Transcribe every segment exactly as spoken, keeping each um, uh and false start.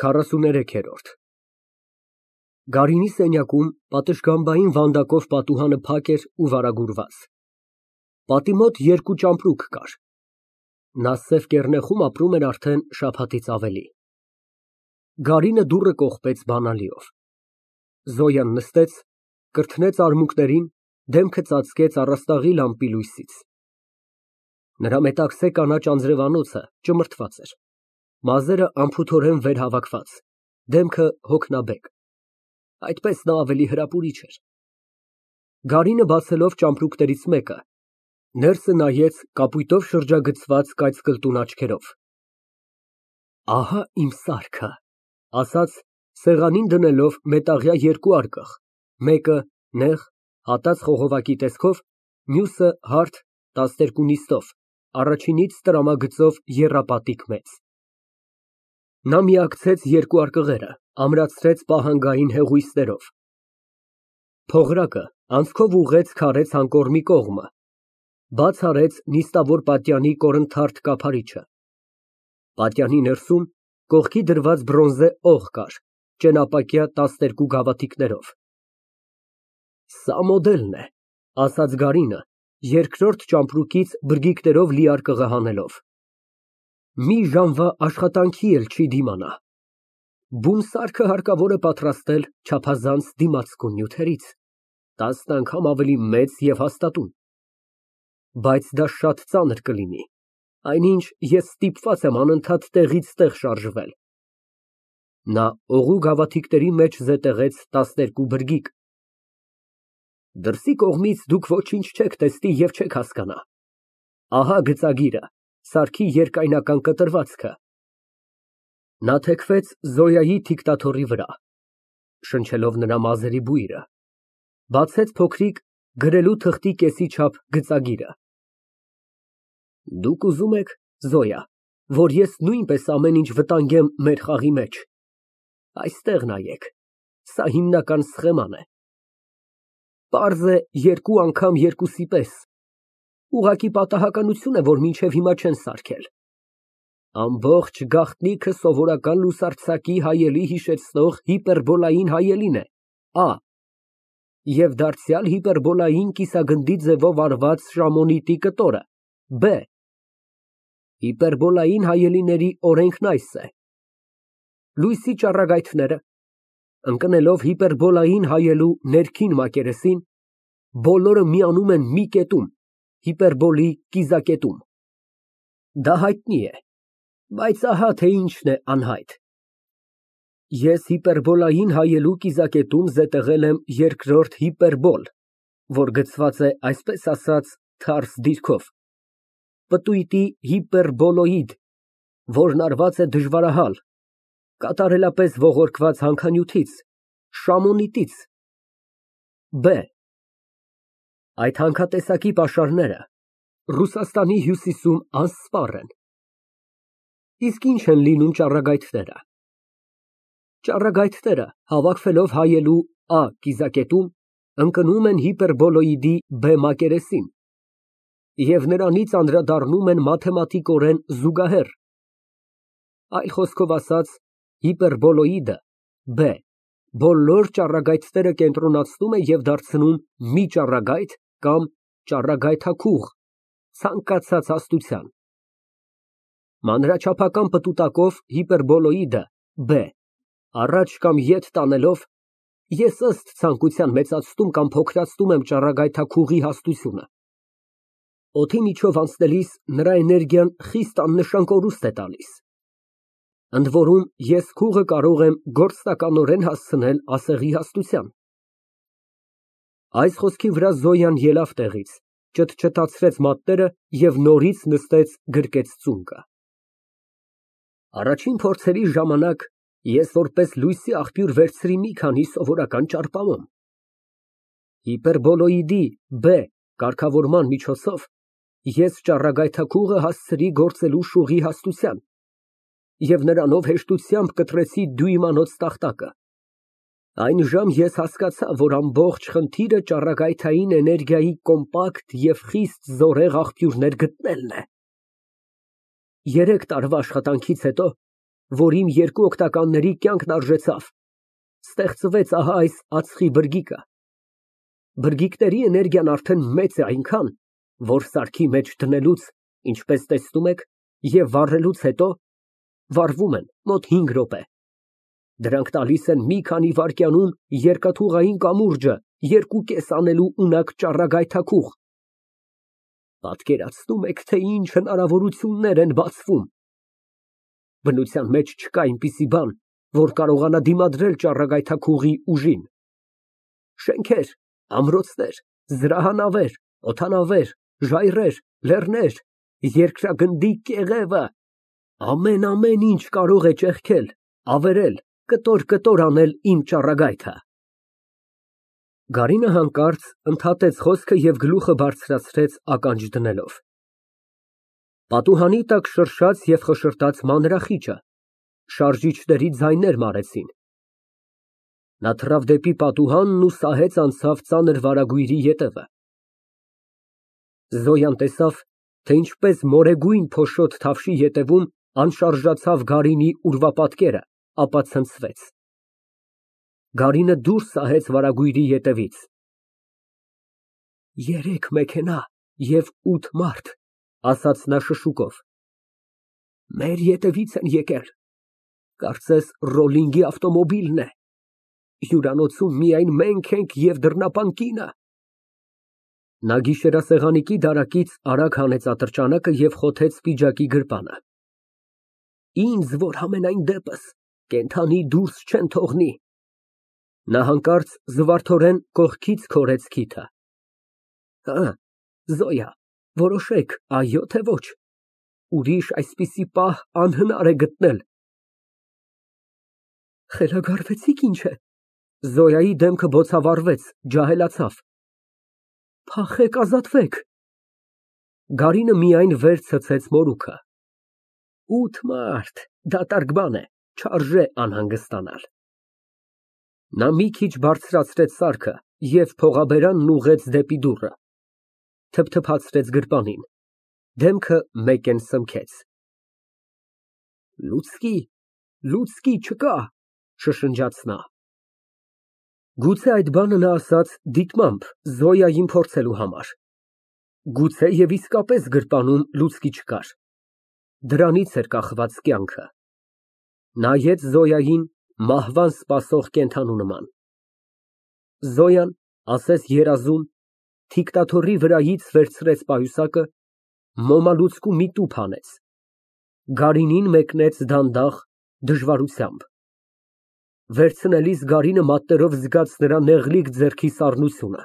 քառասուներեքերորդ Գարինի սենյակում պատշգամբային վանդակով պատուհանը փակ էր ու վարագուրված, պատի մոտ երկու ճամպրուկ կար, նա սև կեռնեխում ապրում էր արդեն շաբաթից ավելի։ Գարինը դուռը կողպեց բանալիով, Զոյան նստեց, կրթնեց արմունկներին, դեմքը ծածկեց առաստաղի լամպի լույսից։ Նրա մետաքսե կանաչ անձրևանոցը ճմրթված էր, մազերը անփութորեն վեր հավաքված, դեմքը հոգնաբեկ, այդպես նա ավելի հրապուրիչ էր։ Գարինը բացելով ճամպրուկներից մեկը, ներսը նայեց կապույտով շրջագծված կայծկլտուն աչքերով։ Ահա իմ սարքը, ասաց, սեղանին դնելով մետաղյա երկու արկղ, մեկը նեղ, հատած խողովակի տեսքով, մյուսը հարթ, տասներկու նիստով, առաջինից տրամագծով եռապատիկ մեծ։ Նա միակցեց երկու արկղերը, ամրացրեց պահանգային հեղուստներով։ Փողրակը անցքով ուղղեց քարե ցանկորմի կողմը, բաց արեց նիստավոր պատյանի կորնթարթ կափարիչը։ Պատյանի ներսում կողքի դրված բրոնզե օղ կար, ճենապակյա տասներկու գավաթիկներով։ Սա մոդելն է, ասաց Գարինը, երկրորդ ճամպրուկից բրգիկներով լի արկղը հանելով։ Մի ժամվա աշխատանքի էլ չի դիմանա։ Բուն սարքը հարկավոր է պատրաստել չափազանց դիմացկուն նյութերից, տասն անգամ ավելի մեծ և հաստատուն։ Բայց դա շատ ծանր կլինի, այնինչ ես ստիպված եմ անընդհատ տեղից տեղ շարժվել։ Նա օղու գավաթիկների մեջ զետեղեց տասներկու բրգիկ։ Դրսի կողմից դուք ոչինչ չեք տեսնի և չեք հասկանա։ Ահա գծագիրը, սարքի երկայնական կտրվածքը։ Նա թեքվեց Զոյայի դիկտաթորի վրա, շնչելով նրա մազերի բույրը, բացեց փոքրիկ գրելու թղթի կեսի չափ գծագիրը։ Դուք ուզում եք, Զոյա, որ ես նույնպես ամեն ինչ վտանգեմ մեր խաղի մեջ։ Այստեղ նայեք, սա հիմնական սխեման է։ Պարզ է երկու անգամ երկուսի պես, ուղղակի պատահականություն է, որ մինչև հիմա չեն սարքել։ Ամբողջ գաղտնիքը սովորական լուսարձակի հայելի հիշեցնող հիպերբոլային հայելին է, Ա, և դարձյալ հիպերբոլային կիսագնդի ձևով արված շամոնիտի կտորը, Բ։ Հիպերբոլային հայելիների օրենքն այս է. լույսի ճառագայթները, ընկնելով հիպերբոլային հայելու ներքին մակերեսին, բոլորը միանում են մի կետում, հիպերբոլի կիզակետում։ Դա հայտնի է, բայց ահա թե ինչն է անհայտ։ Ես հիպերբոլային հայելու կիզակետում զետեղել եմ երկրորդ հիպերբոլ, որ գծված է այսպես ասած թարս դիրքով, պտույտի հիպերբոլոիդ, որն արված է դժվարահալ, կատարելապես ողորկված հանքանյութից, շամոնիտից, Բ։ Այդ հանքատեսակի պաշարները Ռուսաստանի հյուսիսում անսպառ են։ Իսկ ինչ են լինում ճառագայթները։ Ճառագայթները, հավաքվելով հայելու Ա կիզակետում, ընկնում են հիպերբոլոիդի Բ մակերեսին և նրանից անդրադառնում են մաթեմատիկորեն զուգահեռ։ Այլ խոսքով ասած, հիպերբոլոիդը Բ բոլոր ճառագայթները կենտրոնացնում է և դարձնում մի ճառագայթ կամ ճառագայթաքուղ ցանկացած հաստության։ Մանրաչափական պտուտակով հիպերբոլոիդը Բ առաջ կամ ետ տանելով, ես ըստ ցանկության մեծացնում կամ փոքրացնում եմ ճառագայթաքուղի հաստությունը։ Օդի միջով անցնելիս նրա էներգիան խիստ աննշան կորուստ է տալիս։ Ընդ որում ես քուղը կարող եմ գործնականորեն հասցնել ասեղի հաստության։ Այս խոսքի վրա Զոյան ելավ տեղից, ճտճտացրեց մատները և նորից նստեց գրկեց ծունկը։ Առաջին փորձերի ժամանակ ես որպես լույսի աղբյուր վերցրի մի քանի սովորական ճարպամոմ։ Հիպերբոլոիդի Բ կարգավորման միջոցով ես ճառագայթաքուղը հասցրի գործելու շուղի հաստության և նրանով հեշտությամբ կտրեցի դյույմանոց տախտակը։ Այնժամ ես հասկացա, որ ամբողջ խնդիրը ճառագայթային էներգիայի կոմպակտ և խիստ զորեղ աղբյուրներ գտնելն է։ Երեք տարվա աշխատանքից հետո որ իմ երկու օգնականների կյանքն արժեցավ, ստեղծվեց ահա այս ածխի բրգիկը։ Բրգիկների էներգիան արդեն մեծ է այնքան, որ սարքի մեջ դնելուց, ինչպես տեսնում եք, և վառելուց հետո վառվում են մոտ հինգ րոպե։ Դրանք տալիս են մի քանի վայրկյանում երկաթուղային կամուրջը երկու կես անելու ունակ ճառագայթաքուղ։ Պատկերացնո՞ւմ եք, թե ինչ հնարավորություններ են բացվում։ Բնության մեջ չկա այնպիսի բան, որ կարողանա դիմադրել ճառագայթաքուղի ուժին։ Շենքեր, ամրոցներ, զրահանավեր, օդանավեր, ժայռեր, լեռներ, երկրագնդի կեղևը, ամեն, ամեն ինչ կարող է ճեղքել, ավերել, կտոր֊կտոր անել իմ ճառագայթը։ Գարինը հանկարծ ընդհատեց խոսքը և գլուխը բարձրացրեց ականջ դնելով։ Պատուհանի տակ շրշաց և խշշաց մանրախիճը, շարժիչների ձայներ մարեցին։ Նա թռավ դեպի պատուհանն ու սահեց անցավ ծանր վարագույրի ետևը։ Զոյան տեսավ, թե ինչպես մորեգույն փոշոտ թավշի ետևում անշարժացավ Գարինի ուրվապատկերը, ապա ցնցվեց։ Գարինը դուրս սահեց վարագույրի ետևից։ Երեք մեքենա և ութ մարդ, ասաց նա շշուկով։ Մեր ետևից են եկել, կարծես Ռոլլինգի ավտոմոբիլն է, հյուրանոցում միայն մենք ենք և դռնապան կինը։ Նա գիշերասեղանիկի դարակից արագ հանեց ատրճանակը և խոթեց պիջակի գրպանը։ Ինձ, որ համենայն դեպս կենդանի դուրս չեն թողնի։ Նա հանկարծ զվարթորեն կողքից քորեց քիթը։ Հը, Զոյա, որոշեք, այո թե ոչ, ուրիշ այսպիսի պահ անհնար է գտնել։ Խելագարվեցի՞ք ինչ է։ Զոյայի դեմքը բոցավառվեց, ջահելացավ։ Փախեք, ազատվեք։ Գարինը միայն վեր ցցեց մորուքը։ Ութ մարդ, դատարկ բան է, չարժե անհանգստանալ։ Նա մի քիչ բարձրացրեց սարքը և փողաբերանն ուղղեց դեպի դուռը, թփթփացրեց գրպանին, դեմքը մեկեն սնքեց։ Լուցկի, լուցկի չկա, շշնջաց նա։ Գուցե այդ բանը նա ասաց դիտմամբ Զոյային փորձելու համար։ Գուցե և իսկապես գրպանում լուցկի չկար։ Դրանից էր կախված կյանքը։ Նայեց Զոյային մահվան սպասող կենդանու նման։ Զոյան, ասես երազում, թիկտաթոռի վրայից վերցրեց պայուսակը, մոմալուցկու մի տուփ հանեց, Գարինին մեկնեց դանդաղ, դժվարությամբ։ Վերցնելիս Գարինը մատներով զգաց նրա նեղլիկ ձեռքի սառնությունը։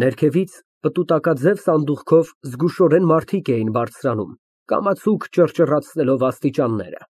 Ներքևից պտուտակաձև սանդուղքով զգուշորեն մարդիկ էին բարձրանում, կամացուկ ճռճռացնելով աստիճանները։